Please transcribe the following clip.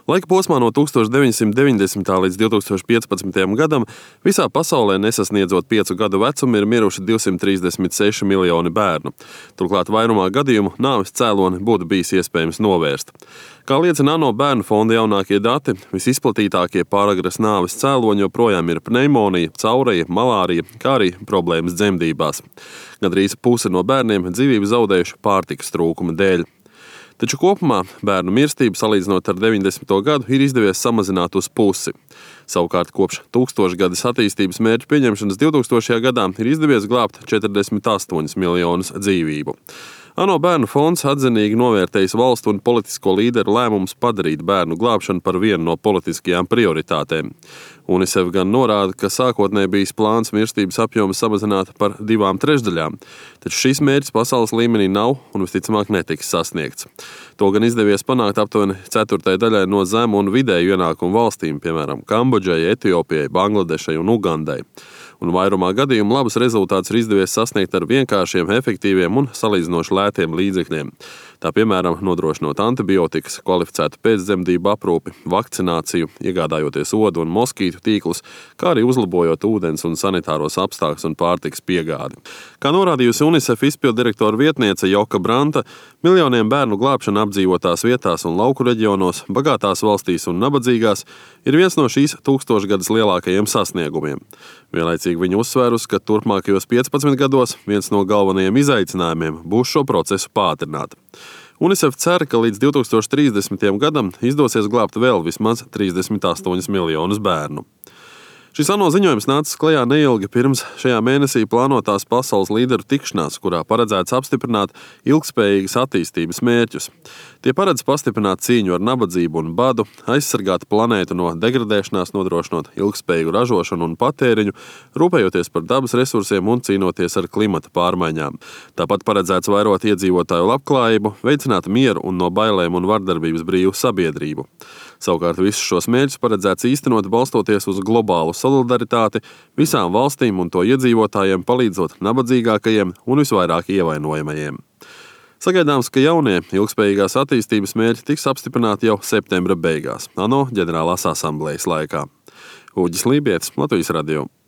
Laika posmā no 1990. līdz 2015. gadam visā pasaulē nesasniedzot 5 gadu vecumu ir miruši 236 miljoni bērnu. Turklāt vairumā gadījumu nāves cēloni būtu bijis iespējams novērst. Kā liecina ANO bērnu fonda jaunākie dati, visizplatītākie pāragras nāves cēloņi joprojām ir pneimonija, caureja, malārija, kā arī problēmas dzemdībās. Gandrīz puse no bērniem dzīvību zaudējuši pārtikas trūkuma dēļ. Taču kopumā bērnu mirstību salīdzinot ar 90. gadu ir izdevies samazināt uz pusi. Savukārt kopš tūkstošgadas attīstības mērķu pieņemšanas 2000. gadā ir izdevies glābt 48 miljonus dzīvību. ANO bērnu fonds atzinīgi novērtējis valstu un politisko līderu lēmumus padarīt bērnu glābšanu par vienu no politiskajām prioritātēm. UNICEF gan norāda, ka sākotnēji bijis plāns mirstības apjomu samazināt par 2/3, taču šis mērķis pasaules līmenī nav un visticamāk netiks sasniegts. To gan izdevies panākt aptuveni 1/4 daļai no zemu un vidēju ienākumu valstīm, piemēram, Kambodžai, Etiopijai, Bangladešai un Ugandai. Un vairumā gadījumu labus rezultātus ir izdevies sasniegt ar vienkāršiem, efektīviem un salīdzinoši lētiem līdzekļiem. Tā piemēram, nodrošinot antibiotikas, kvalificētu pēcdzemdību aprūpi, vakcināciju, iegādājoties odu un moskītu tīklus, kā arī uzlabojot ūdens un sanitāros apstākļus un pārtikas piegādi. Kā norādījusi UNICEF izpilddirektora vietniece Joka Branta, miljoniem bērnu glābšana apdzīvotās vietās un lauku reģionos, bagātās valstīs un nabadzīgās ir viens no šīs tūkstošgadas lielākajiem sasniegumiem. Vienlaicīgi viņa uzsvērusi, ka turpmākajos 15 gados viens no galvenajiem izaicinājumiem būs šo procesu pātrināt. UNICEF cer, ka līdz 2030. gadam izdosies glābt vēl vismaz 38 miljonus bērnu. Šis ANO ziņojums nācis klajā neilgi pirms šajā mēnesī plānotās pasaules līderu tikšanās, kurā paredzēts apstiprināt ilgspējīgas attīstības mērķus. Tie paredz pastiprināt cīņu ar nabadzību un badu, aizsargāt planētu no degradēšanās, nodrošinot ilgspējīgu ražošanu un patēriņu, rūpējoties par dabas resursiem un cīnoties ar klimata pārmaiņām. Tāpat paredzēts vairot iedzīvotāju labklājību, veicināt mieru un no bailēm un vardarbības brīvu sabiedrību. Savukārt visus šos mērķus paredzēts īstenot balstoties uz globālu solidaritāti visām valstīm un to iedzīvotājiem, palīdzot nabadzīgākajiem un visvairāk ievainojamajiem. Sagaidāms, ka jaunie ilgspējīgās attīstības mērķi tiks apstiprināti jau septembra beigās ANO ģenerālās asamblejas laikā. Uģis Lībietis, Latvijas radio.